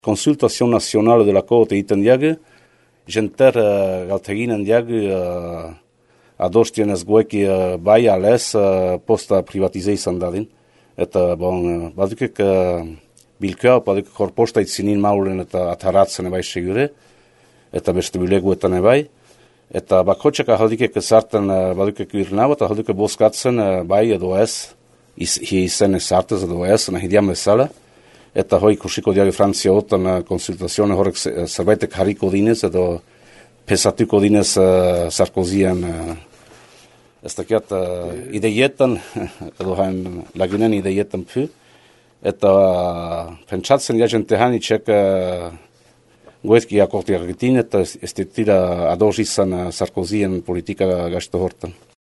Consultation nationale de la Côte egiten diagu, jenter galteginen diagu adostienez gueki bai alez posta privatizei izan dadin. Eta badukek bilkua, badukek horposta itzinin maulen eta ataratzen ebai segure, eta beste bileguetan ebai. Eta bakotxek ahaldikek zarten badukek irnau, eta ahaldikek boskatzen bai edo ez, izen ezartez edo ez, nahi diam ezala. Eta hoi ikusiko diago Frantzia otan konsultazioan horrek zerbaitek harriko dinez edo pesatuko dinez Sarkozian ez dakiat ideietan edo hain lagunen ideietan pu. Eta pentsatzen jazente hanitxek goezki akortiak gitin eta ez ditira adoz izan Sarkozian politika gazte hortan.